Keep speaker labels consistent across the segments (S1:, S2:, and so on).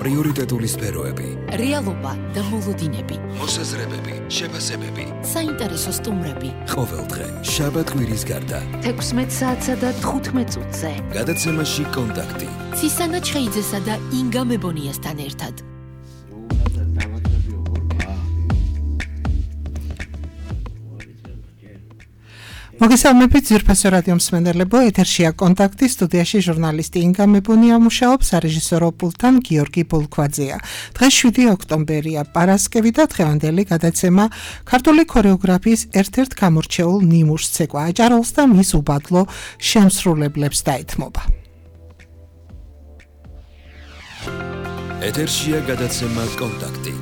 S1: პრიორიტეტული სფეროები,
S2: რეალობა და მოლოდინები,
S1: მოსაზრებები, შეფასებები,
S2: საინტერესო სტუმრები.
S1: ყოველდღე შაბათ-კვირის გარდა
S2: 16 საათსა და 15 წუთზე.
S1: გადაცემაში კონტაქტი.
S2: ცისანა ჩხეიძესა და ინგა მებონიასთან ერთად.
S3: მოგესალმებით ძვირფასო რადიო მსმენელებო, ეთერშია კონტაქტი, სტუდიაში ჟურნალისტი ინგა მებონია მუშაობს, სარეჟისორო პულტთან გიორგი ბოლქვაძეა. დღეს 7 ოქტომბერია, პარასკევი და დღევანდელი გადაცემა ქართული ქორეოგრაფიის ერთ-ერთ გამორჩეულ ნიმუშს ცეკვა აჭაროლს და მის უბადლო შემსრულებლებს დაეთმობა.
S1: ეთერშია გადაცემა კონტაქტი.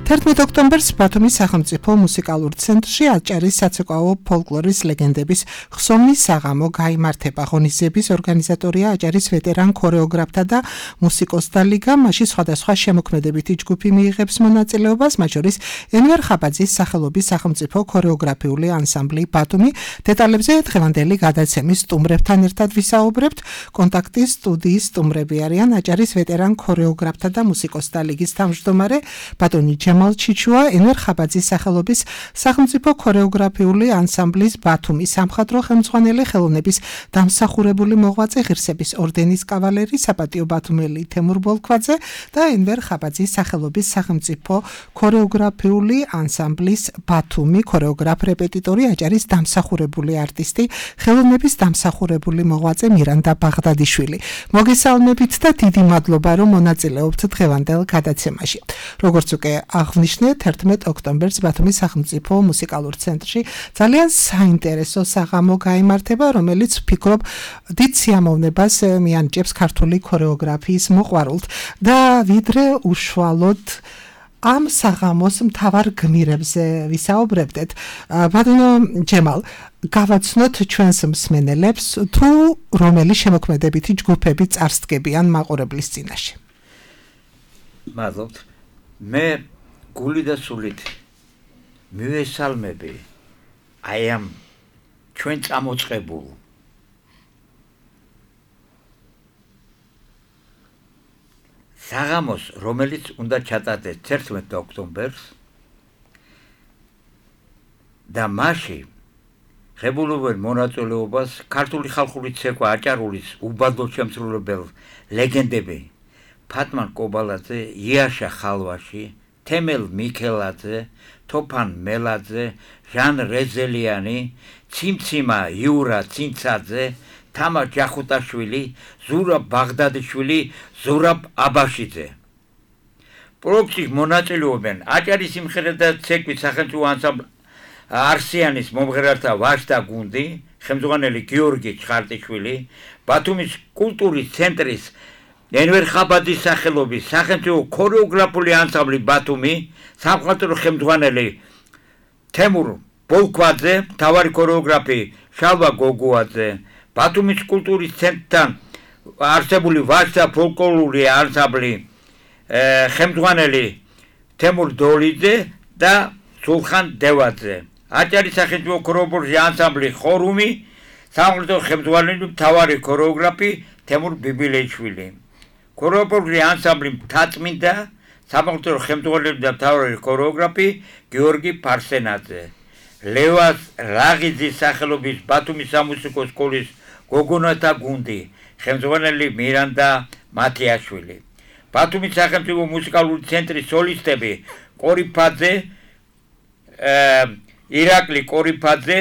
S3: 11 ოქტომბერს ბათუმის სახელმწიფო მუსიკალურ ცენტრში აჭარის საცეკვაო ფოლკლორის ლეგენდების ხსოვნის საღამო გაიმართება. ღონისძიების ორგანიზატორია აჭარის ვეტერან ქორეოგრაფთა და მუსიკოსთა ლიგა. მასში სხვადასხვა შემოქმედებითი ჯგუფი მიიღებს მონაწილეობას, მათ შორის ენვერ ხაბაძის სახელობის სახელმწიფო ქორეოგრაფიული ანსამბლი ბათუმი. დეტალებზე დღევანდელი გადაცემის სტუმრებთან ერთად ვისაუბრებთ. კონტაქტის სტუდიის სტუმრები არიან აჭარის ვეტერან ქორეოგრაფთა და მუსიკოსთა ლიგის თავმჯდომარე ბატონი ჯემალ ჩიჩუა, ენვერ ხაბაძის სახელობის სახელმწიფო ქორეოგრაფიული ანსამბლის ბათუმის სამხატვრო ხელმძღვანელი, ხელოვნების დამსახურებული მოღვაწე, ღირსების ორდენის კავალერი, საპატიო ბათუმელი თემურ ბოლქვაძე და ენვერ ხაბაძის სახელობის სახელმწიფო ქორეოგრაფიული ანსამბლის ბათუმი ქორეოგრაფ რეპეტიტორი, აჭარის დამსახურებული არტისტი, ხელოვნების დამსახურებული მოღვაწე მირანდა ბაღდადიშვილი. მოგესალმებით და დიდი მადლობა, რომ მონაწილეობთ დღევანდელ გადაცემაში. როგორც უკვე აღნიშნეთ, 11 ოქტომბერს ბათუმის სახელმწიფო მუსიკალურ ცენტრში ძალიან საინტერესო საღამო გაიმართება, რომელიც ვფიქრობ დიდ სიამოვნებას მიანიჭებს ქართული ქორეოგრაფიის მოყვარულთ და ვიდრე უშუალოდ ამ საღამოს მთავარ გმირებზე ვისაუბრებდეთ. ბატონო ჯემალ, გავაცნოთ ჩვენს მსმენელებს, თუ რომელი შემოქმედებითი ჯგუფები წარსდგებიან მაყურებლის წინაშე.
S4: მადლობთ. მე გული და სულით მივესალმები აი ამ ჩვენ წამოწყებულ საღამოს, რომელიც უნდა ჩატარდეს 11 ოქტომბერს და მასში ღებულობენ მონაწილეობას ქართული ხალხური ცეკვა აჭარულის უბადლო შემსრულებელ ლეგენდები ფატმან კობალაძე, იაშა ხალვაში, თემელ მიქელაძე, თოფან მელაძე, ჟან რეზელიანი, ციმციმა იურა ცინცაძე, თამა ჯახუტაშვილი, ზურაბ ბაღდადიშვილი, ზურაბ აბაშიძე. პროექტში მონაწილეობენ აჭარის სიმღერა და ცეკვის სახელმწიფო ანსამბლი არსიანის მომღერალთა ვაჟთა გუნდი, ხელმძღვანელი გიორგი ჩხარტიშვილი, ბათუმის კულტურის ცენტრის ენვერ ხაბაძის სახელობის სახელმწიფო ქორეოგრაფიული ანსამბლი ბათუმი, სამხატვრო ხელმძღვანელი თემურ ბოლქვაძე, მთავარი ქორეოგრაფი შალვა გოგუაძე, ბათუმის კულტურის ცენტრთან არსებული ვაჟთა ფოლკლორული ანსამბლი ხელმძღვანელი თემურ დოლიძე და სულხან დევაძე, აჭარის სახელმწიფო ქორეოგრაფიული ანსამბლი ხორუმი, სამხატვრო ხელმძღვანელი მთავარი ქორეოგრაფი თემურ ბიბილეიშვილი. ქორეოგრაფიული ანსამბლი მთაწმინდა, სამხატვრო ხელმძღვანელი და მთავარი ქორეოგრაფი გიორგი ფარსენაძე, ლევას რაღიძის სახელობის ბათუმის სამუსიკო სკოლის გოგონათა გუნდი, ხელმძღვანელი მირანდა მათიაშვილი, ბათუმის სახელმწიფო მუსიკალური ცენტრის სოლისტები კორიფაძე, ირაკლი კორიფაძე,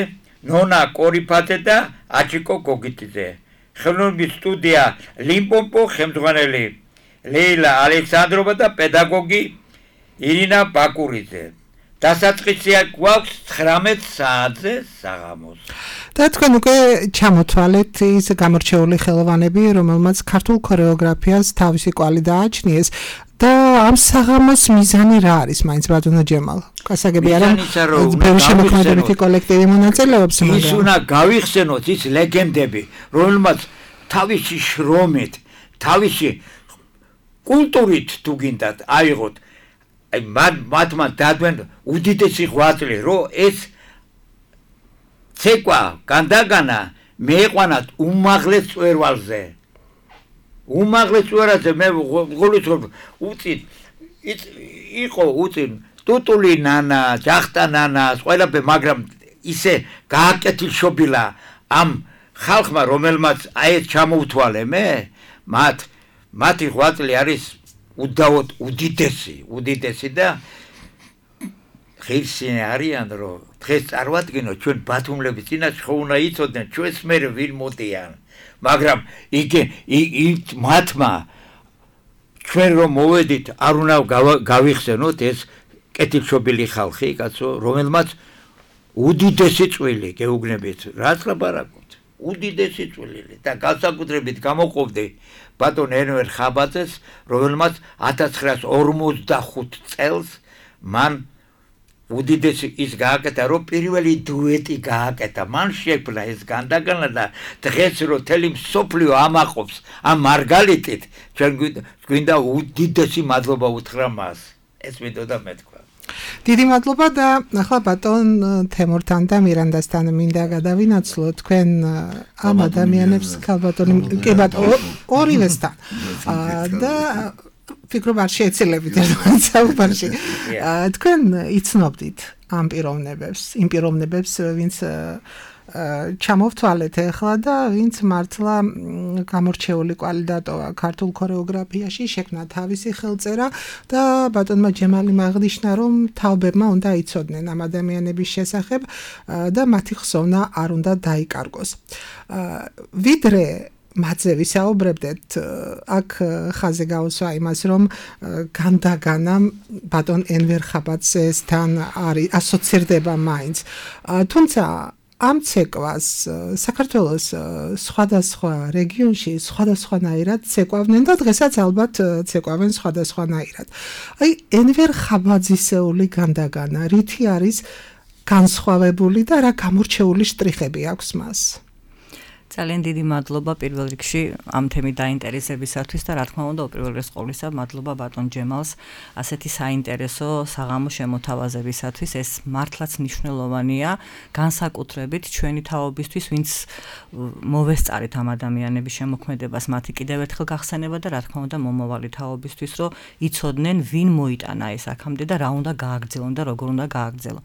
S4: ნონა კორიფაძე და აჩიკო გოგიტიძე. ხელოვნების სტუდია ლიმპოპო, ხელმძღვანელი ლეილა ალექსანდროვა და პედაგოგი ირინა ბაკურიძე. დასაწყისია გვაქვს 19 საათზე საღამოს.
S3: და თქვენ უკვე ჩამოთვალეთ ის გამორჩეული ხელოვანები, რომელმაც ქართულ ქორეოგრაფიას თავისი კვალი დააჩნიეს და ამ საღამოს მიზანი რა არის, მაინც ბატონო ჯემალ? გასაგებია რომ ბევრი შემოქმედებითი კოლექტივი მონაწილეობს,
S4: მაგრამ ის უნდა გავიხსენოთ ის ლეგენდები, რომელმაც თავისი შრომით, თავისი კულტურით თუ გინდათ აიღოთ, აი მათმა დადვენ უდიდესი ღვაწლი, რომ ეს ცეკვა განდაგანა მეეყვანათ უმაღლეს წვერვალზე. უმაღლეს უარაზე მე გულისხმობ უწინ იყო უწინ ტუტული ნანა, ჯახტა ნანა, ყველაფერი, მაგრამ ისე გააკეთილშობილა ამ ხალხმა, რომელმაც აი ეს ჩამოუთვალე მე, მათი ღვაწლი არის უდავოდ უდიდესი და ღირსი არიან, რომ დღეს წარმოადგინოთ ჩვენ ბათუმლების წინაშე ხო უნდა იცოდნენ ჩვენს მერე ვინ მოდიან, მაგრამ მათმა ჩვენ რომ მოვედით არ უნდა გავიხსენოთ ეს კეთილშობილი ხალხი, კაცო, რომელმაც უდიდესი წვლილი გეუბნებით, რაც ლაპარაკობთ, უდიდესი წვლილი და განსაკუთრებით გამოყოფდი ბატონ ენვერ ხაბაძეს, რომელმაც 1945 წელს მან უდიდესი ის გააკეთა, რომ პირველი დუეტი გააკეთა, მან შექმნა ეს განდაგანა და დღეს რომ თელი მსოფლიო ამაყობს ამ მარგალიტით, ჩვენ გვინდა უდიდესი მადლობა უთხრა მას. ეს მინდოდა მეთქვა.
S3: დიდი მადლობა და ახლა ბატონ თემურთან და მირანდასთან მინდა გადავინაცვლო თქვენ ამ ადამიანებს ქალბატონი კი ბატონო ორივესთან და ფიქრობ არ შეეცილებით ერთმანეთს საუბარში. თქვენ იცნობდით ამ იმ პიროვნებებს, ვინც ჩამოვთვალეთ ახლა და ვინც მართლა გამორჩეული კვალი დატოვა ქართულ ქორეოგრაფიაში, შექმნა თავისი ხელწერა და ბატონმა ჯემალიმ აღნიშნა, რომ თაობებმა უნდა იცოდნენ ამ ადამიანების შესახებ და მათი ხსოვნა არ უნდა დაიკარგოს. ვიდრე მათზე ვისაუბრებდეთ, აქ ხაზი გაუსვა იმას, რომ განდაგანამ ბატონ ენვერ ხაბაძესთან არის ასოცირდება მაინც. თუმცა ამ ცეკვას საქართველოს სხვადასხვა რეგიონში სხვადასხვანაირად ცეკვავდნენ და დღესაც ალბათ ცეკვავენ სხვადასხვანაირად. აი ენვერ ხაბაძისეული განდაგანა რითი არის განსხვავებული და რა გამორჩეული შტრიხები აქვს მას?
S5: ძალიან დიდი მადლობა პირველ რიგში ამ თემით დაინტერესებისათვის და რა თქმა უნდა უპირველეს ყოვლისა მადლობა ბატონ ჯემალს ასეთი საინტერესო საღამო შემოთავაზებისათვის. ეს მართლაც მნიშვნელოვანია განსაკუთრებით ჩვენი თაობისთვის, ვინც მოვესწარით ამ ადამიანების შემოქმედებას, მათი კიდევ ერთხელ გახსენება და რა თქმა უნდა მომავალი თაობისთვის, რომ იცოდნენ ვინ მოიტანა ეს აქამდე და რა უნდა გააგრძელონ და როგორ უნდა გააგრძელონ.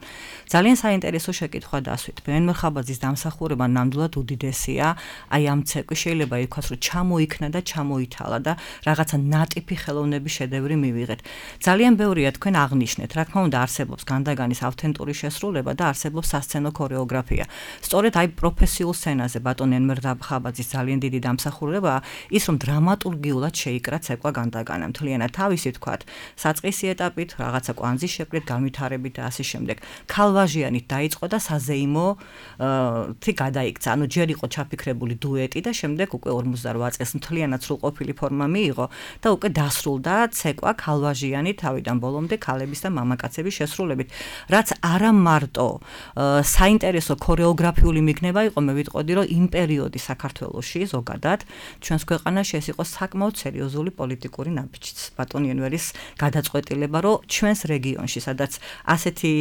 S5: ძალიან საინტერესო შეკითხვა დასვით. ენვერ ხაბაძის დამსახურება ნამდვილად უდიდესია. აი ამ ცეკვი შეიძლება ითქვას, რომ ჩამოიქნა და ჩამოითალა და რაღაცა ნატიფი ხელოვნების შედევრი მივიღეთ. ძალიან ბევრია თქვენ აღნიშნეთ, რა თქმა უნდა არსებობს განდაგანის ავთენტური შესრულება და არსებობს სასცენო ქორეოგრაფია. სწორედ აი პროფესიულ სცენაზე ბატონ ენვერ ხაბაძის ძალიან დიდი დამსახურებაა ის, რომ დრამატურგიულად შეიკრა ცეკვა განდაგანა. მთლიანად თავისი თქვათ, საწყისი ეტაპით, რაღაცა კვანძის შეკვრით, განვითარებით და ასე შემდეგ. ქალვაჟიანით დაიწყო და საზეიმო გადაიქცა. ანუ ჯერ იყო ჩაფიქრებული დუეტი და შემდეგ უკვე 48 წელს მთლიანად სრულყოფილი ფორმა მიიღო და უკვე დასრულდა ცეკვა ქალვაჟიანი თავიდან ბოლომდე ქალების და მამაკაცების შესრულებით. რაც არა მარტო საინტერესო ქორეოგრაფიული მიგნება იყო, მე ვიტყოდი, რომ იმ პერიოდი საქართველოში ზოგადად ჩვენს ქვეყანაში ეს იყო საკმაოდ სერიოზული პოლიტიკური ნაბიჯიც. ბატონ ენვერის გადაწყვეტილება, რომ ჩვენს რეგიონში, სადაც ასეთი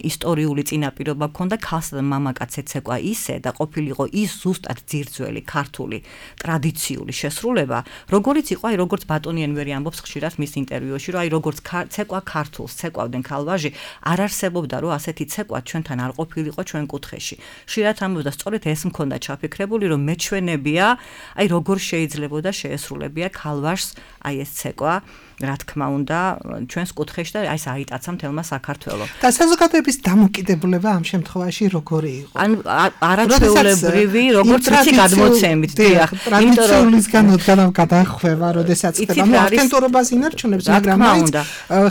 S5: ისტორიული წინაპირობა ჰქონდა, ქალსა და მამაკაცს ეცეკვა ისე და ყოფილიყო ის ზუსტად ძირძველი ქართული ტრადიციული შესრულება, როგორიც იყო, აი როგორც ბატონი ენვერი ამბობს ხშირად მის ინტერვიუში, რომ აი როგორც ცეკვა ქართულს ცეკვავდნენ ქალვაჟი, არ არსებობდა რომ ასეთი ცეკვა ჩვენთან არ ყოფილიყო ჩვენ კუთხეში. ხშირად ამბობდა სწორედ ეს მქონდა ჩაფიქრებული, რომ მეჩვენებია, აი როგორ შეიძლებოდა შეესრულებია ქალვაჟს აი ეს ცეკვა, რა თქმა უნდა, ჩვენს კუთხეში და აი ეს აიტაცა მთელმა საქართველოს.
S3: და საზოგადოების დამოკიდებულება ამ შემთხვევაში როგორი იყო?
S5: ან არაჩვეულებრივი, როგორც ვიცი გადმოცემით, დიახ.
S3: ტრადიციულისგან გადახვევა, როდესაც ხდება ავთენტურობას ინარჩუნებს, მაგრამ მაინც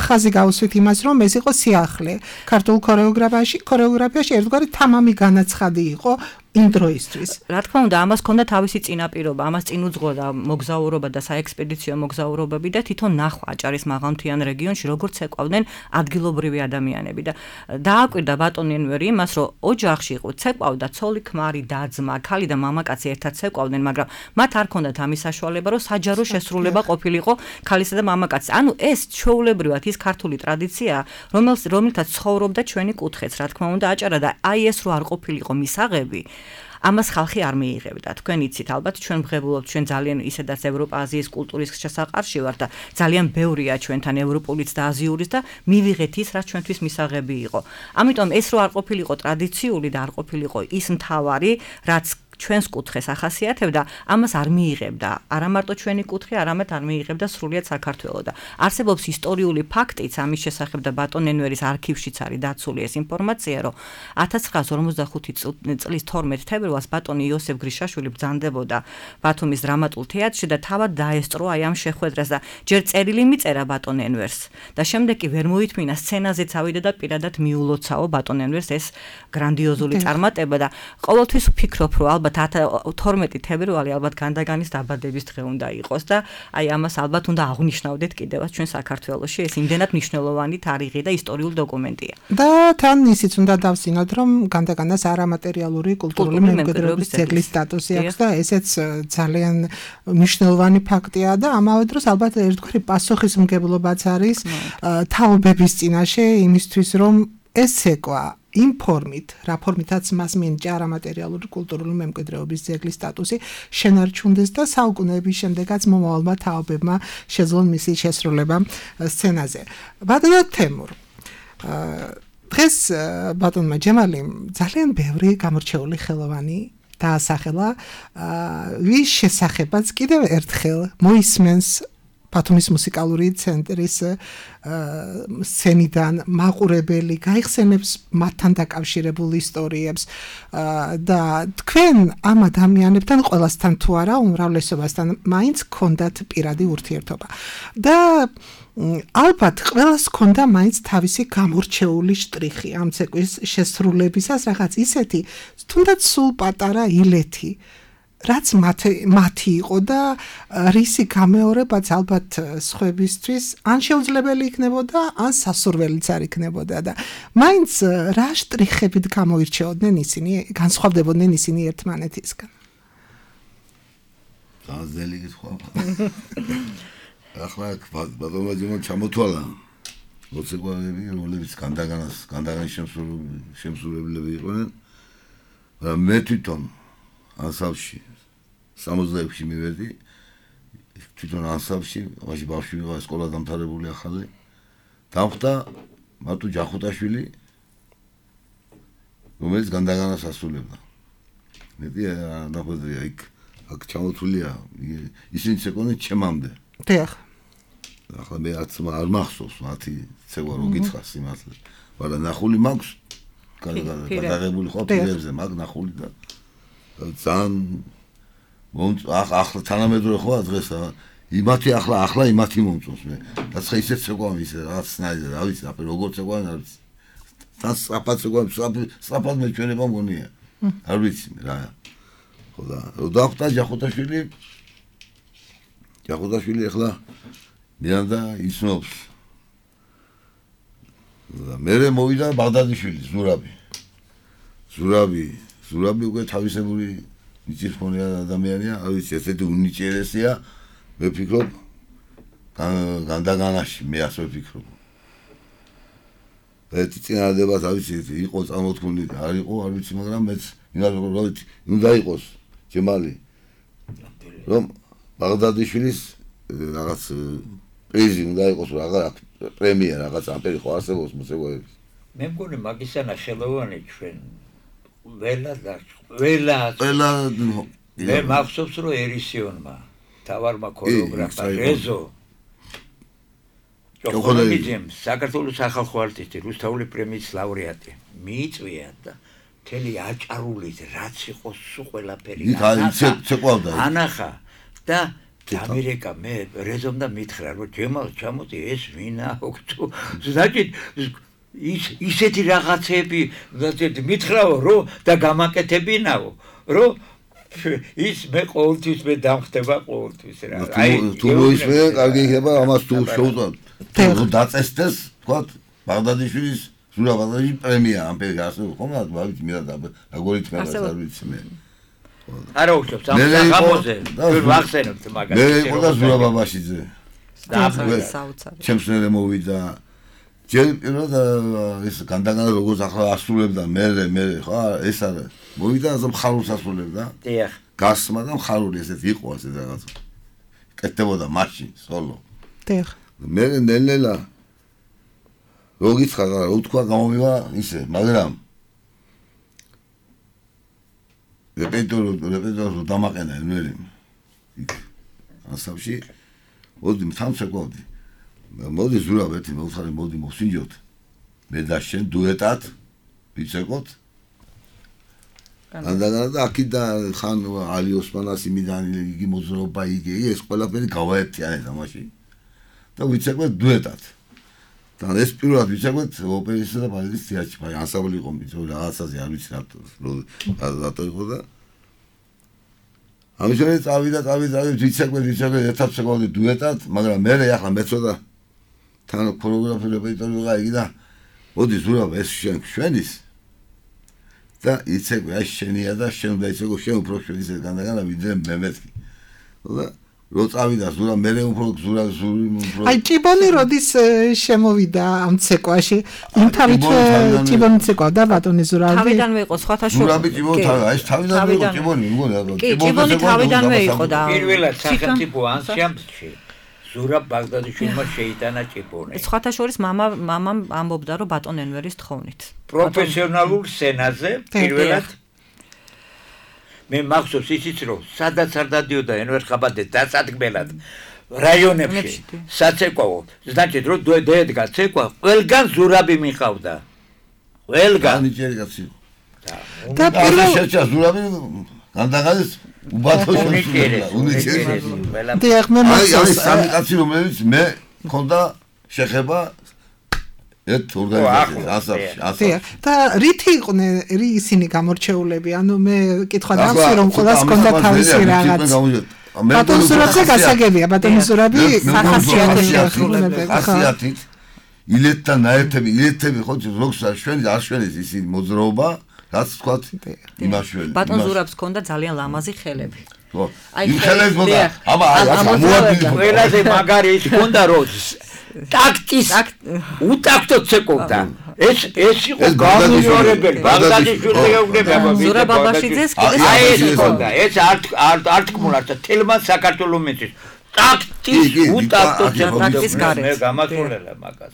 S3: ხაზი გავუსვით იმას, რომ ეს იყო სიახლე. ქართულ ქორეოგრაფიაში ერთგვარი თამამი განაცხადი იყო იმ დროისთვის.
S5: რა თქმა უნდა, ამას ჰქონდა თავისი წინაპირობა, ამას წინ უძღვოდა მოგზაურობა და საექსპედიციო მოგზაურობები და თვითონ ნახვა აჭარის მაღალმთიან რეგიონში, როგორც ცეკვავდნენ ადგილობრივი ადამიანები და დააკვირდა ბატონ ენვერი იმას, რომ ოჯახში იყო ცეკვავდა ცოლი, ქმარი, და-ძმა, ქალი და მამაკაცი ერთად ცეკვავდნენ, მაგრამ მათ არ ჰქონდათ ამის საშუალება, რომ საჯარო შესრულება ყოფილიყო ქალისა და მამაკაცის. ანუ ეს ჩვეულებრივად ის ქართული ტრადიციაა, რომელთაც ცხოვრობდა ჩვენი კუთხეც, რა თქმა უნდა, აჭარა და აი ეს რო არ ყოფილიყო მისაღები, ამას ხალხი არ მიიღებდა. თქვენ იცით, ალბათ ჩვენ ვღებულობთ, ჩვენ ძალიან ისედაც ევროპა-აზიის კულტურის შესაყარში ვართ და ძალიან ბევრია ჩვენთან ევროპულიც და აზიურის და მივიღეთ ის, რაც ჩვენთვის მისაღები იყო. ამიტომ ეს რო არ ყოფილიყო ტრადიციული და არ ყოფილიყო ის მთავარი, რაც ჩვენს კუთხეს ახასიათებდა, ამას არ მიიღებდა. არა მარტო ჩვენი კუთხე, არამედ არ მიიღებდა სრულიად საქართველო და არსებობს ისტორიული ფაქტიც ამის შესახებ და ბატონ ენვერის არქივშიც არის დაცული ეს ინფორმაცია, რომ 1945 წლის 12 თებერვალს ბატონი იოსებ გრიშაშვილი ბრძანდებოდა ბათუმის დრამატულ თეატრში და თავად დაესწრო აი ამ შეხვედრას და ჯერ წერილი მიწერა ბატონ ენვერს და შემდეგ კი ვერ მოითმინა სცენაზეც ავიდა და პირადად მიულოცაო ბატონ ენვერს ეს გრანდიოზული წარმატება და ყოველთვის ვფიქრობ, რომ ალბათ 12 თებერვალი ალბათ განდაგანის დაბადების დღე უნდა იყოს და აი ამას ალბათ უნდა აღვნიშნავდეთ კიდევაც ჩვენ საქართველოში ეს იმდენად მნიშვნელოვანი თარიღი და ისტორიული დოკუმენტია.
S3: და თან ისიც უნდა დავსინოთ, რომ განდაგანას არამატერიალური კულტურული მემკვიდრეობის ძეგლის სტატუსი აქვს და ესეც ძალიან მნიშვნელოვანი ფაქტია და ამავე დროს ალბათ ერთგვარი პასუხისმგებლობაც არის თაობების წინაშე იმისთვის, რომ ეს ცეკვა იმ ფორმით, რა ფორმითაც მას მიენიჭა არამატერიალური კულტურული მემკვიდრეობის ძეგლის სტატუსი შენარჩუნდეს და საუკუნეების შემდეგაც მომავალმა თაობებმა შეძლონ მისი შესრულება სცენაზე. ბატონო თემურ, დღეს ბატონმა ჯემალიმ ძალიან ბევრი გამორჩეული ხელოვანი დაასახელა, ვის შესახებაც კიდევ ერთხელ მოისმენს ბათუმის მუსიკალური ცენტრის სცენიდან მაყურებელი გაიხსენებს მათთან დაკავშირებულ ისტორიებს და თქვენ ამ ადამიანებთან ყველასთან თუ არა უმრავლესობასთან მაინც გქონდათ პირადი ურთიერთობა და ალბათ ყველას ჰქონდა მაინც თავისი გამორჩეული შტრიხი ამ ცეკვის შესრულებისას, რაღაც ისეთი თუნდაც სულ პატარა ილეთი რაც მათი იყო და რისი გამეორებაც ალბათ სხვებისთვის ან შეუძლებელი იქნებოდა, ან სასურველიც არ იქნებოდა და მაინც რა შტრიხებით გამოირჩეოდნენ ისინი, განსხვავდებოდნენ ისინი ერთმანეთისგან.
S6: ძალიან გითხვა. ახლა ბატონმა ჯემალ ჩამოთვალა მოცეკვავები, რომლებიც განდაგანის შემსრულებლები იყვნენ. მე თვითონ ანსამბლში 66-ში მივედი, თვითონ ანსამბლში, მაშინ ბავშვი ვიყავ, სკოლა დამთავრებული ახალი. დავხვდა მარტო ჯახუტაშვილი, რომელიც განდაგანას ასრულებდა. მეტი ნახვედრია იქ ჩამოთვლილია, ისინი ცეკვდნენ ჩემამდე.
S3: დიახ.
S6: ახლა მე არ მახსოვს მათი ცეკვა რო გითხრას იმასle. მაგრამ ნახული მაქვს, გადაღებული ხო პირებზე მაგ ნახული და ძალიან ახლა თანამედროვე ხო დღეს იმათი ახლა იმათი მომწონს მე რაც ხა ისეთ ცეკვამ ისე რაღაც სნაიზე რა ვიცი აფერ როგორ ცეკვამ არ ვიცი თან სწრაფად ცეკვამ სწრაფად მეჩვენება მგონია არ ვიცი რა ხო და დავხვდა ჯახუტაშვილი ახლა მიანდა ისნობს და მერე მოვიდა ბაღდადიშვილი ზურაბი უკვე თავისებური ნიჭიერწმუნე ადამიანია, არ ვიცი, ესეთი უნიჭიერესია, მე ვფიქრობ განდაგანაში, მე ასე ვფიქრობ. ეს წინადადებას, არ ვიცი, იყო წარმოთქმული, არ იყო, არ ვიცი, მაგრამ მეც უნდა იყოს ჯემალი, რომ ბაღდადიშვილის რაღაც პრიზი უნდა იყოს, რაღაც პრემია, რაღაც ამპერი ხო არსებობს მუსიკოების.
S4: მე მგონი მაგისანა ხელოვანი ჩვენ ყველა მე მახსოვს რომ ერისიონმა თავარმა ქორეოგრაფა რეზო ჯოხონიძემ საქართველოს სახალხო არტისტი რუსთავული პრემიის ლაურეატი მიიწვია და მთელი აჭარულით რაც იყო სულ ყველაფერი ანახა და ამერიკა მე რეზომ და მითხრა რომ ჯემალ ჩამოდი ეს ვინა ოქტო значит ისეთი რაღაცები მითხრაო რომ და გამაკეთებინაო რომ ის მე ყოველთვის მე დამხდება ყოველთვის რა
S6: აი თუ მოისმე კარგი იქნება ამას თუ შევუწევ დაწესდეს თქვა ბაღდადიშვილის ზურაბადაში პრემია ამ პერიოდში ასე ხომ რა ვიცი მე როგორ ითქვა არ ვიცი მე
S4: არა უშვებს ამ საღამოზე თუ ვახსენებთ მაგას
S6: მე იყო და ზურაბაბაშიძე და
S5: საოცარი
S6: ჩემს მერე მოვიდა ჯერ პირველად ეს განდაგანა როგორც ახლა ასრულებდა მე ხო ეს არა მოვიდა ასე მხარულს ასრულებდა
S4: დიახ
S6: გასმა და მხარული ესეთ იყო ასე რაღაც კეთდებოდა მაშინ სოლო
S3: დიახ
S6: მე ნელ-ნელა როგიცხა რა უთქვა გამომივა ისე მაგრამ რეპეტიტორი დამაყენა ნელი იქ ასავში მოდი თამშეკვავდი მოდი ზურაბეთი მოხარი მოდი მოსინჯოთ მე და შენ დუეტად ვიცეკოთ და აქიდა ხან ალი ოსმანას იმიდან იგი მოძრაობა იგი ეს ყველაფერი გავაერთიანეთ ამაში და ვიცეკვეთ დუეტად და ეს პირველად ვიცეკვეთ ოპერისა და ბალეტის თეატრში აი ანსამბლი იყო მიწო რაღაცაზე არ ვიცი რატო იყო და ამჟამად წავიდა ვიცეკვეთ ერთად შეგვავდი დუეტად მაგრამ მე ახლა მეცოდა თან ქორეოგრაფი რეპეტიტორი ვიყავ იგი და მოდი ზურაბ ეს შენის და იცეკვე აი შენია და შენ უნდა იცეკვე შენ უფრო შენ ისე განდაგანა ვიდრე მე მეთქი და რო წავიდა ზურა მე უფრო ზური უფრო
S3: აი ჭიბონი როდის შემოვიდა ამ ცეკვაში იმ თავით ჭიბონი ცეკვა და ბატონი ზურაბი
S5: თავიდანვე იყო სხვათა შორის
S6: ზურაბი ჭიბონი აი თავიდანვე იყო ჭიბონი მგონი
S5: კი ჭიბონი თავიდანვე იყო და
S4: პირველად სახელმწიფო ანსამბლში ზურაბ ბაგდადიშვილმა შეიტანა ჭიბონი
S5: სხვათა შორის მამამ ამბობდა რომ ბატონ ენვერის თხოვნით
S4: პროფესიონალურ სცენაზე პირველად მე მახსოვს ისიც რომ სადაც არ დადიოდა ენვერ ხაბადეს დასადგმელად რაიონებში საცეკვაო значит რომ დედგა ცეკვა ყველგან ზურაბი მიყავდა ყველგან
S6: ნიჭიერი კაცი და პირველ შეჭა ზურაბი განდაგადეს უბათო უნიჭიერი
S3: დიახ მე
S6: აი სამი კაცი რომელიც მე მქონდა შეხება ერთ ორგანიზაციას ასაფში
S3: და რითი იყვნენ ისინი გამორჩეულები ანუ მე კითხვა დავსვი რომ ყველას ჰქონდა თავისი რაღაც ბატონ ზურაბზე გასაგებია ბატონ ზურაბი
S6: ხასიათით ილეთთან ნაერთები ილეთები ხო როგორც არ შვენის ისინი მოძრაობა რაც თქვათ იმაშველი
S5: ბატონ ზურაბს ჰქონდა ძალიან ლამაზი ხელები
S6: ხო იმ ხელებს მოდა აბა
S4: ყველაზე მაგარი ის ჰქონდა რომ ტაქტის უტაქტო ცეკობდა ეს იყო გამიზიარებელი ბაგდადიშვილი გეუბნები აბა
S5: ზურაბ აბაშიძეს
S4: აი ეს ჰქონდა ეს არ თქმულართ თელმან საქართველოს მიწის ტაქტის უტაქტო ცეკობდა მე გამასულელა მაგას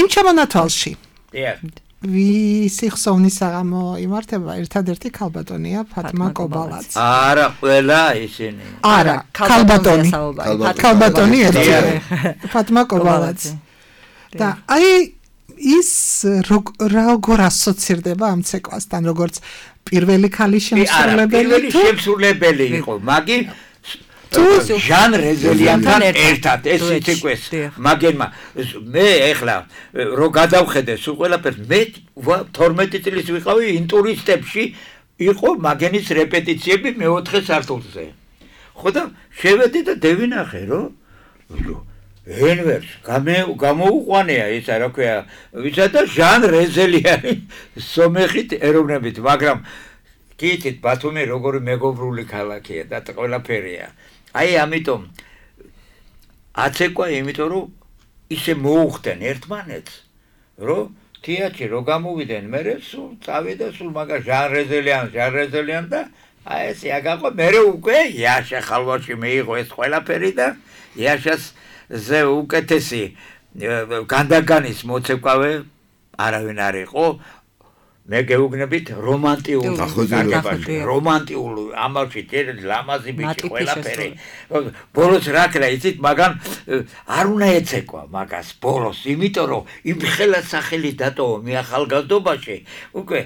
S3: იმ ჩამონათვალში
S4: დიახ
S3: ვისი ხსოვნის საღამო იმართება ერთადერთი ქალბატონია ფატმა კობალაც
S4: არა ყველა ისინი
S3: არა ქალბატონი ერთი ფატმა კობალაც და აი ის როგორ ასოცირდება ამ ცეკვასთან როგორც პირველი ქალი
S4: შემსრულებელი იყო მაგი ჟან რეზელიანთან ერთად ეს ცეკვეს მაგენმა მე ეხლა რო გადავხედე სულ ყველაფერს მე 12 წლის ვიყავი ინტურისტებში იყო მაგენის რეპეტიციები მეოთხე სართულზე ხო და შევედი და დევინახე რომ ენვერს გამოუყვანია ისა რა ქვია ვისა და ჟან რეზელიანი სომეხით ეროვნებით მაგრამ კითით ბათუმი როგორი მეგობრული ქალაქია და ყველაფერია აი ამიტომ აცეკვა იმიტომ რომ ისე მოუხდნენ ერთმანეთს რომ თეატრში რო გამოვიდნენ მე სულ წავიდა სულ მაგა ჟან რეზელიან და აი ეს აგაყო მე უკვე იაშა ხალვაში მეიღო ეს ყველაფერი და იაშას ზე უკეთესი განდაგანის მოცეკვავე არავინ არ იყო მე გეუბნებით რომანტიულ ამაში ლამაზი ბიჭი ყველაფერი ბოლოს რა ქნა იცით მაგან არ უნდა ეცეკვა მაგას ბოლოს იმიტომ რომ იმ ხელა სახელი დატოვა მე ახალგაზრდობაში უკვე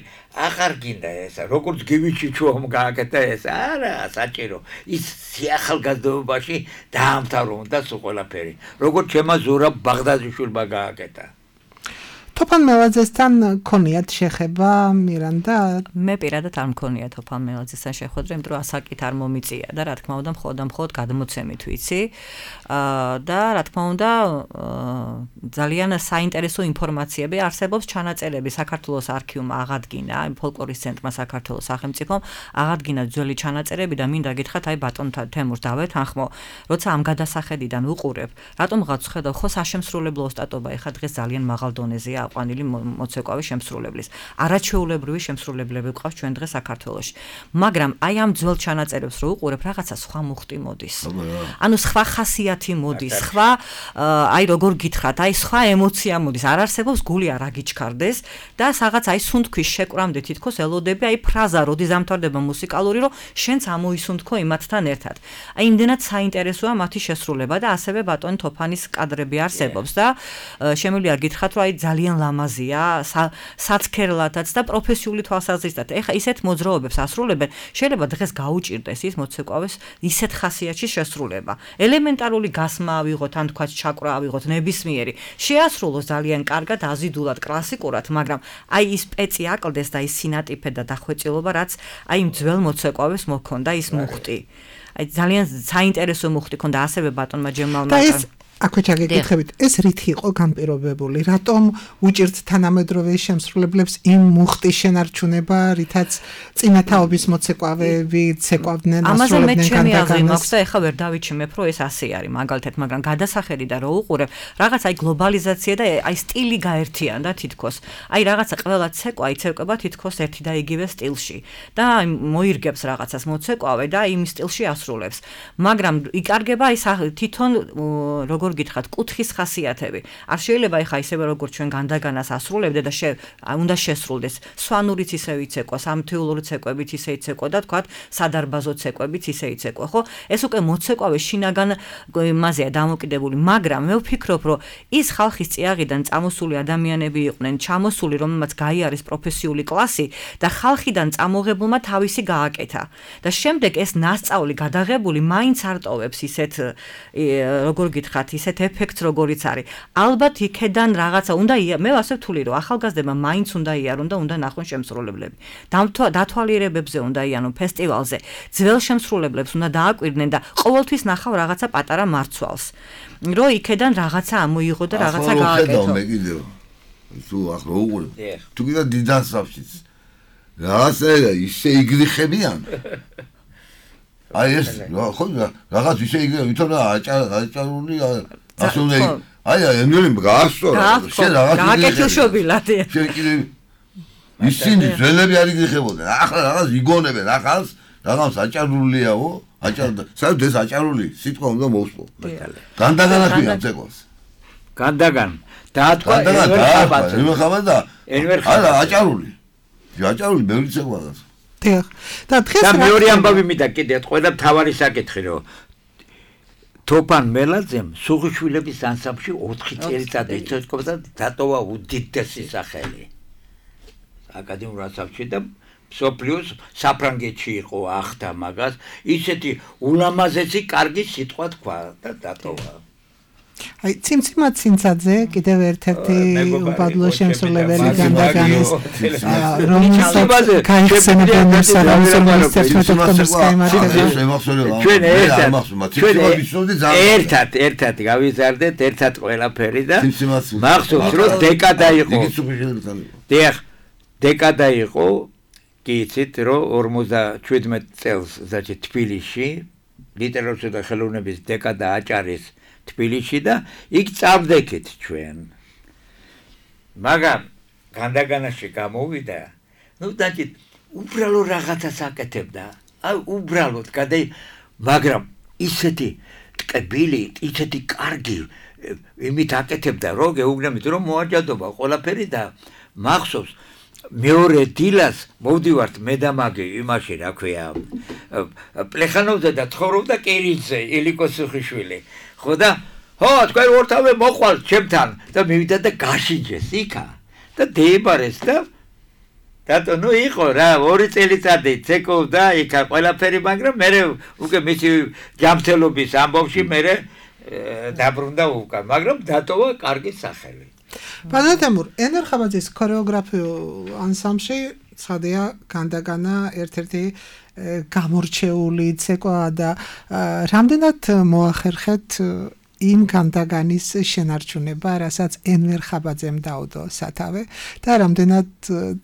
S4: აღარ გინდა ესა როგორც გივიჩიჩუამ გააკეთა ეს არა საჭირო ის ახალგაზრდობაში დაამთავრა და სულ ყველაფერი როგორც ჩემა ზურაბ ბაღდადიშვილმა გააკეთა
S3: თოფან მელაძესთან ქონიათ შეხება მირანდა?
S5: მე პირადად არ მქონია თოფან მელაძესთან შეხვედრა, იმიტომ რომ ასაკით არ მომიწია და რა თქმა უნდა მხოლოდ გადმოცემით ვიცი. და რა თქმა უნდა ძალიან საინტერესო ინფორმაციები არსებობს, ჩანაწერები საქართველოს არქივმა აღადგინა, ფოლკლორის ცენტრმა საქართველოს სახელმწიფომ აღადგინა ძველი ჩანაწერები და მინდა გითხრათ, აი ბატონ თემურს დავეთანხმო, როცა ამ გადასახედიდან უყურებ, რატომღაც ხედავ ხო საშემსრულებლო ოსტატობა ეხა დღეს ძალიან მაღალ დონეზეა აყვანილი მოცეკვავი შემსრულებლის. არაჩვეულებრივი შემსრულებლები გვყავს ჩვენ დღეს საქართველოში. მაგრამ აი ამ ძველ ჩანაწერებს რო უყურებ, რაღაცა სხვა მუხტი მოდის. ანუ სხვა ხასიათი მოდის, სხვა აი როგორ გითხრათ, აი სხვა ემოცია მოდის. არ არსებობს გული არ აგიჩქარდეს და რაღაც აი სუნთქვის შეკვრამდე თითქოს ელოდები აი ფრაზა როდის ამთავრდება მუსიკალური, რომ შენც ამოისუნთქო იმათთან ერთად. აი იმდენად საინტერესოა მათი შესრულება და ასევე ბატონი თოფანის კადრები არსებობს და შემიძლია გითხრათ, რომ აი ძალიან ლამაზია, საცქერლათაც და პროფესიული თვალსაზრისით. ეხა ისეთ მოძრაობებს ასრულებენ, შეიძლება დღეს გაუჭირდეს ის მოცეკვავის ისეთ ხასიათში შესრულება. ელემენტარული გასმა ავიღოთ, ან თქვა ჩაკვრა ავიღოთ, ნებისმიერი. შეასრულოს ძალიან კარგად, აზიდულად, კლასიკურად, მაგრამ აი ის პეცი აკლდეს და ის სინატიფე და დახვეწილობა, რაც აი იმ ძველ მოცეკვავებს მოქონდა ის მუხტი. აი ძალიან საინტერესო მუხტი ქონდა ასევე ბატონმა ჯემალმა.
S3: აქვე ჩაგეკითხებით, ეს რითი იყო განპირობებული? რატომ უჭირთ თანამედროვე შემსრულებლებს იმ მუხტის შენარჩუნება, რითაც წინათაობის მოცეკვავები ცეკვავდნენ, ასრულებდნენ
S5: კანდაგანას? და ეხლა ვერ დავიჩიმებ, რომ ეს ასე არის მაგალითად, მაგრამ გადასახედი და რო უყურებ, რაღაც აი გლობალიზაცია და აი სტილი გაერთიანდა თითქოს. აი რაღაცა ყველა ცეკვა იცეკვება თითქოს ერთი და იგივე სტილში და მოირგებს რაღაცას მოცეკვავე და იმ სტილში ასრულებს. მაგრამ იკარგება ის თვითონ როგორ გითხრათ, კუთხის ხასიათები. არ შეიძლება ეხა ისევე როგორც ჩვენ განდაგანას ასრულებდე და უნდა შესრულდეს. სვანურიც ისე იცეკვა, სამთეულური ცეკვებით ისე იცეკვა და თქვათ სადარბაზო ცეკვებით ისე იცეკვა, ხო? ეს უკვე მოცეკვავე შინაგან იმაზეა დამოკიდებული, მაგრამ მე ვფიქრობ, რომ ის ხალხის წიაღიდან წამოსული ადამიანები იყვნენ, ჩამოსული, რომელმაც გაიარეს პროფესიული კლასი და ხალხიდან წამოღებულმა თავისი გააკეთა. და შემდეგ ეს ნასწავლი გადაღებული მაინც არ ტოვებს ისეთ როგორ გითხრათ ისეთ ეფექტს როგორიც არის. ალბათ იქედან რაღაცა უნდა მე ასე ვთვლი რომ ახალგაზრდებმა მაინც უნდა იარონ და უნდა ნახონ შემსრულებლები. დათვალიერებებზე უნდა იანონ ფესტივალზე. ძველ შემსრულებლებს უნდა დააკვირდნენ და ყოველთვის ნახავ რაღაცა პატარა მარცვალს. რომ იქედან რაღაცა ამოიღო და რაღაცა გააკეთო.
S6: მე კიდევ თუ ახლა უყურებ. თუ კიდე დიდასავშიც. რაღაცა ისე იგრიხებიან. აი ეს ხო რაღაც ისე იგივე ვითომ აჭარული ასე უნდა აი ენერი გაასწორა შენ რაღაც
S5: გააკეთილშობილად
S6: შენ კიდე ისინი ძველები არ იგრიხებოდნენ ახლა რაღაც იგონებენ ახალს რაღაც აჭარულიაო აჭარდა საერთოდ ეს აჭარული სიტყვა უნდა მოვსპო განდაგანა ქვია ცეკვას
S4: განდაგან დაათქვა
S6: ენვერ ხაბადა არა აჭარული ბევრი ცეკვაა
S3: და დღეს
S4: და მეორე ამბავი მინდა კიდე ყველა თავარი საკითხი რომ თოფან მელაძემ სუღიშვილების ანსამბლში 4 წელიწად იცოცხლო და დატოვა უდიდესი სახელი აკადემიურ ანსამბლში და სოფლიოს საფრანგეთში იყო ახთა მაგას ისეთი ულამაზესი კარგი სიტყვა თქვა და დატოვა
S3: აი ციმციმა ცინცაძე კიდევ ერთ-ერთი უბადლო შემსრულებელი განდაგანის რომელსაც გაიხსენებენ სარავის მინისტრთა ოქტომბრის
S4: გამარჯვება ერთად გავიზარდეთ ერთად ყველაფერი და მახსოვს რომ დეკადა იყო დიახ დეკადა იყო კი იცით რომ 57 წელს ზაჭი თბილისში ლიტერატურისა და ხელოვნების დეკადა აჭარის თბილისში და იქ წავდექით ჩვენ. მაგრამ განდაგანაში გამოვიდა, ნუ დაჭით უბრალო რაღაცას აკეთებდა. აი უბრალოდ მაგრამ ისეთი ტკბილი, ისეთი კარგი იმით აკეთებდა, რომ გეუბნებით რომ მოაჯადობა ყველაფერი და მახსოვს მეორე დილას მოვდივართ მე და მაგი იმაში რა ქვია პლეხანოვზე და ცხოვრობდა კირილზე ილიკო სუხიშვილი ხო და ხო თქვენ ორთავე მოყვალთ ჩემთან და მივიდა და გაშინჯეს იქა და დაიბარეს და დატო ნუ იყო რა 2 წელიწადი ცეკვდა იქა ყველაფერი მაგრამ მე უკვე მისი ჯამთელობის ამბავში მე დაბრუნდა უკან მაგრამ დატოვა კარგი სახელი
S3: ბატონო თემურ, ენვარ ხაბაძის ქორეოგრაფიულ ანსამბლში ცხადია განდაგანა ერთ-ერთი გამორჩეული ცეკვაა და რამდენად მოახერხეთ იმ განდაგანის შენარჩუნება, რასაც ენვარ ხაბაძემ დაუდო სათავე და რამდენად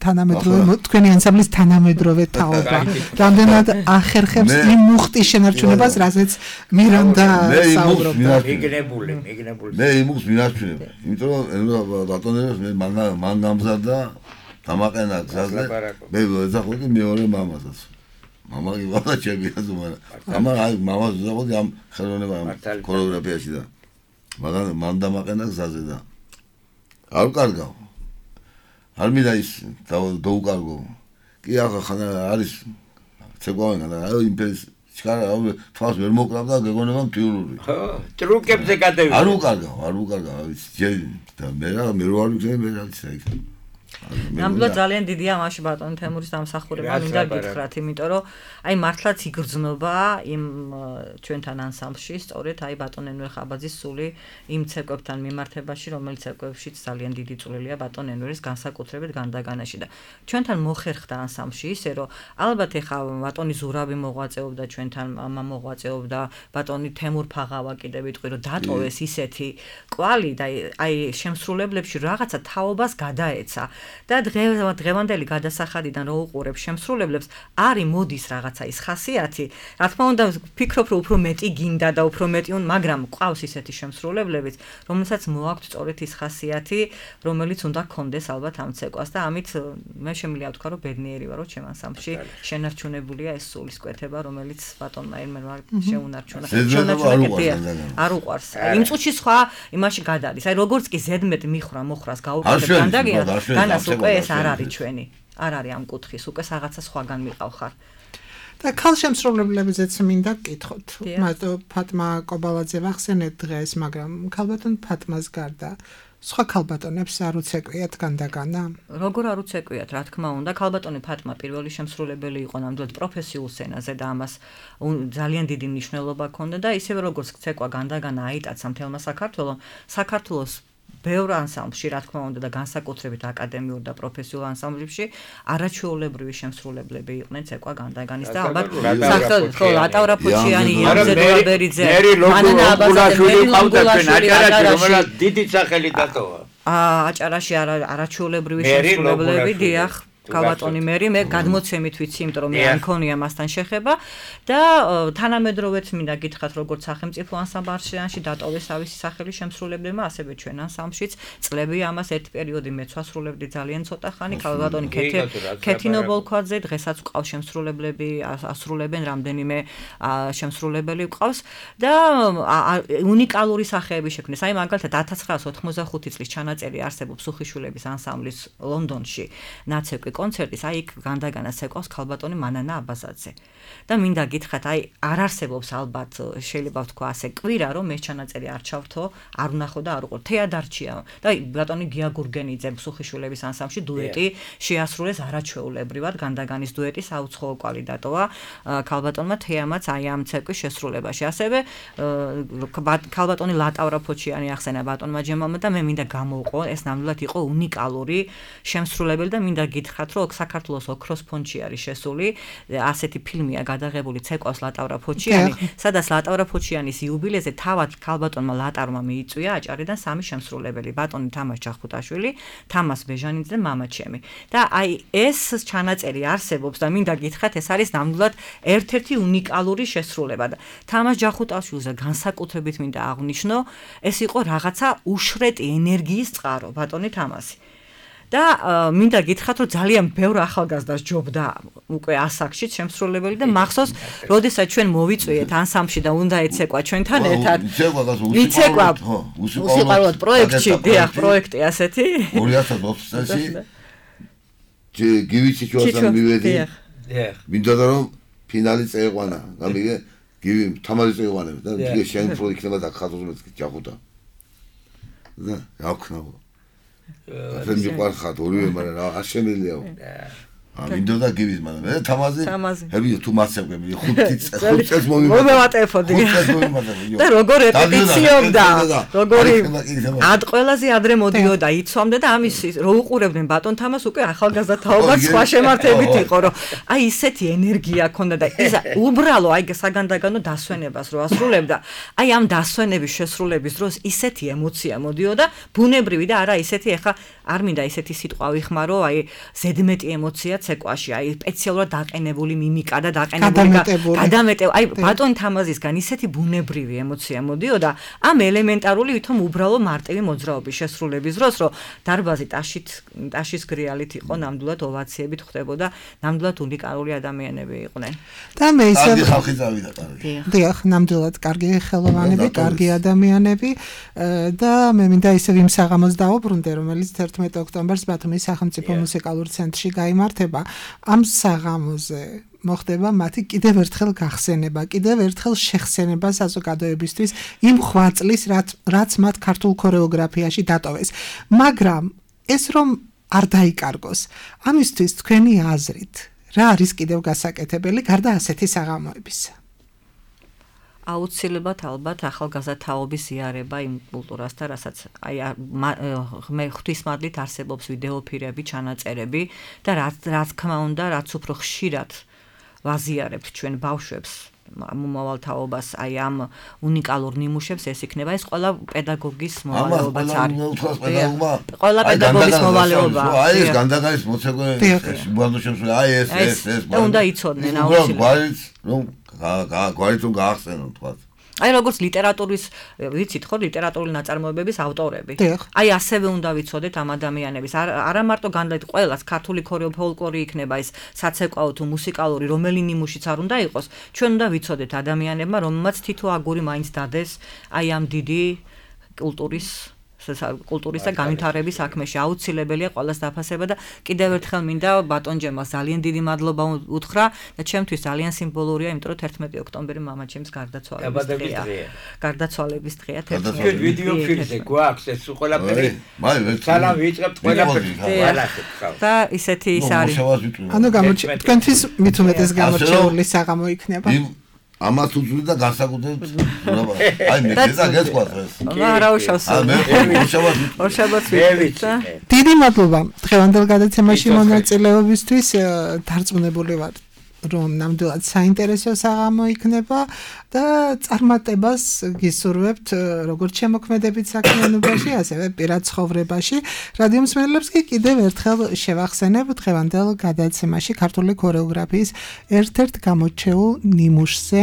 S3: თანამედროვე თქვენი ანსამბლის თანამედროვე თაობა რამდენად ახერხებს იმ მუხტის შენარჩუნებას, რასაც მირანდა საუბრობდა.
S4: მიგნებული.
S6: მე იმუხტს მინარჩუნებ, იმიტომ რომ ბატონებს მე მან გამზარდა დამაყენა გზაზე, მე ვეძახოდი მეორე მამასაც. მამა იბადა ჩემია ზუმარა. მამას ვეძახოდი ამ ხელოვნება ქორეოგრაფიაში და მაგრამ მან დამაყენა გზაზე და არ ვკარგავ. არ მინდა ის დაუკარგო. კი ახლა არის ცეკვავენ და იმპერიის ჩქარა თავს ვერ მოკრავ და გეგონება მტიულური.
S4: ხო, ტრუკებზე გადავიდა.
S6: არ უკარგავ, ის და მე რო არ ვიქნები მე რა ვიცი იქ.
S5: ნამდვილად ძალიან დიდია მაშინ ბატონ თემურის დამსახურება მინდა გითხრათ, იმიტომ რომ აი მართლაც იგრძნობა იმ ჩვენთან ანსამბლში სწორედ აი ბატონ ენვარ ხაბაძის სული იმ ცეკვებთან მიმართებაში, რომელიც ცეკვებშიც ძალიან დიდი წვლილია ბატონ ენვარის განსაკუთრებით განდაგანაში და ჩვენთან მოხერხდა ანსამბლში ისე რომ ალბათ ეხა ბატონი ზურავი მოღვაწეობდა ჩვენთან, მამა მოღვაწეობდა, ბატონი თემურ ფაღავა კიდე ვიტყვი რომ დატოვეს ისეთი კვალი და აი შემსრულებლებში რაღაცა თაობას გადაეცა. და დღევანდელი გადასახადიდან რო უყურებ შემსრულებლებს, არის მოდის რაღაცა ის ხასიათი. რა თქმა უნდა, ვფიქრობ, რომ უფრო მეტი გინდა და უფრო მეტი მაგრამ ყავს ისეთი შემსრულებლებიც, რომელსაც მოაქვთ სწორედ ის ხასიათი, რომელიც უნდა გქონდეს ალბათ ამ ცეკვას და ამით მე შემიძლია ვთქვა, რომ ბედნიერი ვარ, რომ ჩემ ანსამბლში შენარჩუნებულია ეს სულისკვეთება, რომელიც ბატონმა ენვარ შეუნარჩუნა. არ უყვარს. იმ წუთში სხვა იმაში გადადის. აი როგორც კი ზედმეტ მოხრას გაუკვირდეთ განდაგიანს უკვე ეს არ არის ჩვენი. არ არის ამ კუთხის, უკვე რაღაცა სხვაგან მიყავხარ.
S3: და ქალშემსრულებლებზეც მინდა გკითხოთ. ფატმა კობალაძე ვახსენეთ დღეს, მაგრამ ქალბატონ ფატმას გარდა სხვა ქალბატონებს არ უცეკვიათ განდაგანა?
S5: როგორ არ უცეკვიათ, რა თქმა უნდა, ქალბატონი ფატმა პირველი შემსრულებელი იყო ნამდვილად პროფესიულ სცენაზე და ამას ძალიან დიდი მნიშვნელობა ჰქონდა და ისევე როგორც ცეკვა განდაგანა აიტაცა მთელმა საქართველოს ბევრ ანსამბლში, რა თქმა უნდა და განსაკუთრებით აკადემიურ და პროფესიულ ანსამბლებში არაჩვეულებრივი შემსრულებლები იყვნენ ცეკვა განდაგანის და ალბათ ხო ლატავრა ფოჩიანი, იამზე დოლაბერიძე, მანანა აბაზაშვილი ყავდა
S4: აჭარაში, რომელსაც დიდი სახელი დატოვა.
S5: აჭარაში არაჩვეულებრივი შემსრულებლები, დიახ, ქალბატონი მერი, მე გადმოცემით ვიცი, იმიტომ რომ მე არ მქონია მასთან შეხება და თანამედროვეც მინდა გითხრათ, როგორც სახელმწიფო ანსამბლში დატოვეს ავისი სახელი შემსრულებლებმა, ასევე ჩვენ ანსამბლშიც წლები ამას ერთ პერიოდი მეც ვასრულებდი ძალიან ცოტა ხანი, ქალბატონი ქეთინო ბოლქვაძე, დღესაც ყავს შემსრულებლები, ასრულებენ რამდენიმე შემსრულებელი ყავს და უნიკალური სახეები შექმნეს. აი მაგალითად 1985 წლის ჩანაწერი არსებობს სუხიშვილების ანსამბლის ლონდონში ნაცეკვი კონცერტის, აი იქ განდაგანას ეკავს ქალბატონი მანანა აბაზაძე. და მინდა გითხრათ, აი არ არსებობს ალბათ შეიძლება ვთქვა ასე კვირა, რომ ეს ჩანაწერი არ ჩავრთო, არ ვნახო და არ უყურო. თეადარჩია და ბატონი გია გურგენიძე სუხიშვილების ანსამბლში დუეტი შეასრულეს არაჩვეულებრივად განდაგანის დუეტი საუცხოო კვალი დატოვა ქალბატონმა თეამაც აი ამ ცეკვის შესრულებაში. ასევე ქალბატონი ლატავრა ფოჩიანი ახსენა ბატონმა ჯემალმა და მე მინდა გამოვყო, ეს ნამდვილად იყო უნიკალური შემსრულებელი და მინდა გითხრათ, რომ საქართველოს ოქროს ფონდში არის შესული ასეთი ფილმია გადაღებული ცეკვას ლატავრა ფოჩიანი, სადაც ლატავრა ფოჩიანის იუბილეზე თავად ქალბატონმა ლატარმა მიიწვია აჭარიდან 3 შემსრულებელი, ბატონი თამაშ ჯახუტაშვილი, თამას ბეჟანიძე და მამაჩემი. და აი ეს ჩანაწერი არსებობს და მინდა გითხრათ, ეს არის ნამდვილად ერთ-ერთი უნიკალური შესრულება და თამას ჯახუტაშვილზე განსაკუთრებით მინდა აღვნიშნო, ეს იყო რაღაცა უშრეტი ენერგიის წყარო, ბატონი თამასი. და მინდა გითხრათ, რომ ძალიან ბევრ ახალგაზრდას ჯობდა უკვე ასაკში შემსრულებელი და მახსოვს, როდესაც ჩვენ მოვიწვიეთ ანსამბლში და უნდა ეცეკვა ჩვენთან ერთად. იცეკვა უსიყვარულოდ პროექტში, დიახ, პროექტი ასეთი.
S6: 2020 წელს გივიცი ჩვენთან მივედი.
S4: დიახ.
S6: მინდა რომ ფინალი წეიყვანა. გამიგე გივი თამარი წეიყვანებს და იგი შეიმფრო იქნება და ხატოს ჯახუტა. და რა ვქნაო. ასე მიყვარხათ ორივე, მაგრამ რა არ შემიძლიაო. მინდოდა გივის მაგრამ მე თამაზი ჰები თუ მასწავლები 5 წელს
S5: მომევატეფოდი და როგორ რეპეტიციობდა როგორი ად ყველაზე ადრე მოდიოდა იცვამდა და ამის რო უყურებდნენ ბატონ თამას უკვე ახალგაზრდა თაობა სხვა შემართებით იყო რომ აი ისეთი ენერგია ჰქონდა და ის უბრალო აი საგანდაგანო დასვენებას რო ასრულებდა აი ამ დასვენების შესრულების დროს ისეთი ემოცია მოდიოდა ბუნებრივი და არა ისეთი ეხა არ მინდა ისეთი სიტყვა ვიხმარო აი ზედმეტი ემოცია ცეკვაში აი სპეციალურად დაყენებული მიმიკა და გადამეტებული აი ბატონ თამაზისგან ისეთი ბუნებრივი ემოცია მოდიოდა ამ ელემენტარული ვითომ უბრალო მარტივი მოძრაობის შესრულების დროს რომ დარბაზი ტაშის გრიალით იყო ნამდვილად ოვაციებით ხდებოდა ნამდვილად უნიკალური ადამიანები იყვნენ
S3: და მე ისე
S6: ხალხი წავიდა კარგი
S3: დიახ ნამდვილად კარგი ხელოვანები კარგი ადამიანები და მე მინდა ისევ იმ საღამოს დავუბრუნდე რომელიც 11 ოქტომბერს ბათუმის სახელმწიფო მუსიკალურ ცენტრში გაიმართება ამ საღამოზე მოხდება მათი კიდევ ერთხელ გახსენება, კიდევ ერთხელ შეხსენება საზოგადოებისთვის იმ ხვაწლის, რაც მათ ქართულ ქორეოგრაფიაში დატოვეს. მაგრამ ეს რომ არ დაიკარგოს, ამისთვის თქვენი აზრით, რა არის კიდევ გასაკეთებელი გარდა ასეთი საღამოებისა?
S5: აუცილებლად ალბათ ახალგაზრდა თაობის იზიარება იმ კულტურასთან, რასაც აი მე ღვთისმადლით არსებობს ვიდეოფირები, ჩანაწერები და რაც თქმა უნდა, რაც უფრო ხშირად ვაზიარებთ ჩვენ ბავშვებს მომავალ თაობას აი ამ უნიკალურ ნიმუშებს ეს იქნება ეს ყველა პედაგოგის მოვალეობაც არის. ყველა პედაგოგის მოვალეობა.
S6: აი ეს განდაგარის მოცეკვე ბუდოშებს აი ეს
S5: და უნდა იცოდნენ აუცილებლად.
S6: რომ გვარით რომ გაახსენოთ თქვა.
S5: აი როგორც ლიტერატურის ვიცით ხო ლიტერატურული ნაწარმოებების ავტორები. აი ასევე უნდა ვიცოდეთ ამ ადამიანების არა მარტო განდაით ყველას ქართული ფოლკლორი იქნება ეს საცეკვაო თუ მუსიკალური რომელი ნიმუშიც არ უნდა იყოს ჩვენ უნდა ვიცოდეთ ადამიანებმა რომელმაც თითო აგური მაინც დადეს აი ამ დიდი კულტურის და განვითარების საქმეში აუცილებელია ყველას დაფასება და კიდევ ერთხელ მინდა ბატონ ჯემალს ძალიან დიდი მადლობა უთხრა და ჩემთვის ძალიან სიმბოლურია იმიტომ რომ 11 ოქტომბერი მამაჩემს გარდაცვალების დღეა 11
S4: ვიდეო ფილმზე გვაქვს ეს ყველაფერი სალამ ვიწყებთ ყველაფერს
S5: და ისეთი ის არის
S3: ანუ თქვენთვის მით უმეტეს გამორჩეული საღამო იქნება
S6: ამათ უძვი და განსაკუთრებით აი მე და გესყვათ ეს
S5: არა უშავს
S3: დიდი მადლობა დღევანდელ გადაცემაში მონაწილეობისთვის დარწმუნებული ვარ რომ ნამდვილად საინტერესო საღამო იქნება და წარმატებას გისურვებთ როგორც შემოქმედებით საქმიანობაში, ასევე პირად ცხოვრებაში. რადიო მსმენელებს კი კიდევ ერთხელ შევახსენებ დღევანდელ გადაცემაში ქართული ქორეოგრაფიის ერთ-ერთ გამორჩეულ ნიმუშზე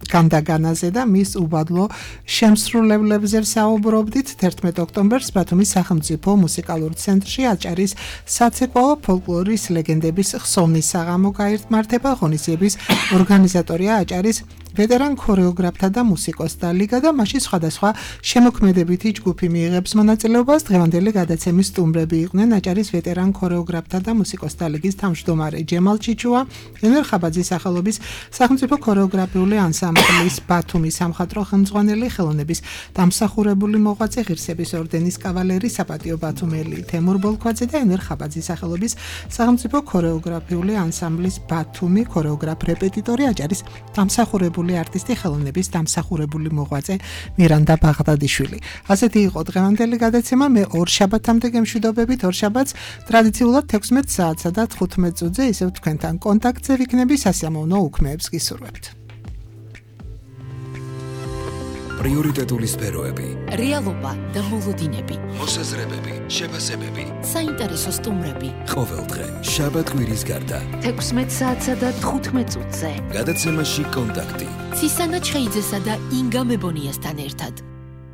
S3: განდაგანაზე და მის უბადლო შემსრულებლებზე საუბრობდით 11 ოქტომბერს ბათუმის სახელმწიფო მუსიკალურ ცენტრში აჭარის საცეკვაო ფოლკლორის ლეგენდების ხსოვნის საღამო გაიმართება. ღონისძიების ორგანიზატორია აჭარის ვეტერან ქორეოგრაფთა და მუსიკოსთა ლიგა და მასში სხვადასხვა შემოქმედებითი ჯგუფი მიიღებს მონაწილეობას. დღევანდელი გადაცემის სტუმრები იყვნენ აჭარის ვეტერან ქორეოგრაფთა და მუსიკოსთა ლიგის თავმჯდომარე ჯემალ ჩიჩუა, ენერ ხაბაძის სახელობის სახელმწიფო ქორეოგრაფიული ანსამბლის ბათუმის სამხატვრო ხელმძღვანელი, ხელოვნების დამსახურებული მოღვაწე, ღირსების ორდენის კავალერი, საპატიო ბათუმელი თემურ ბოლქვაძე და ენერ ხაბაძის სახელობის სახელმწიფო ქორეოგრაფიული ანსამბლის ბათუმი ქორეოგრაფ რეპეტიტორი, აჭარის დამსახურებული არტისტი, ხელოვნების დამსახურებული მოღვაწე მირანდა ბაღდადიშვილი. ასეთი იყო დღევანდელი გადაცემა. მე ორ შაბათამდე გემშვიდობებით. ორ შაბათს ტრადიციულად 16 საათსა და 15 წუთზე ისევ თქვენთან კონტაქტზე ვიქნები. სასიამოვნო უქმეებს გისურვებთ.
S1: პრიორიტეტული სფეროები,
S2: რეალობა და მოლოდინები,
S1: მოსაზრებები, შეფასებები,
S2: საინტერესო სტუმრები.
S1: ყოველდღე შაბათ-კვირის გარდა
S2: 16 საათსა და 15 წუთზე
S1: გადაცემაში კონტაქტი.
S2: ცისანა ჩხეიძესა და ინგა მებონიასთან ერთად.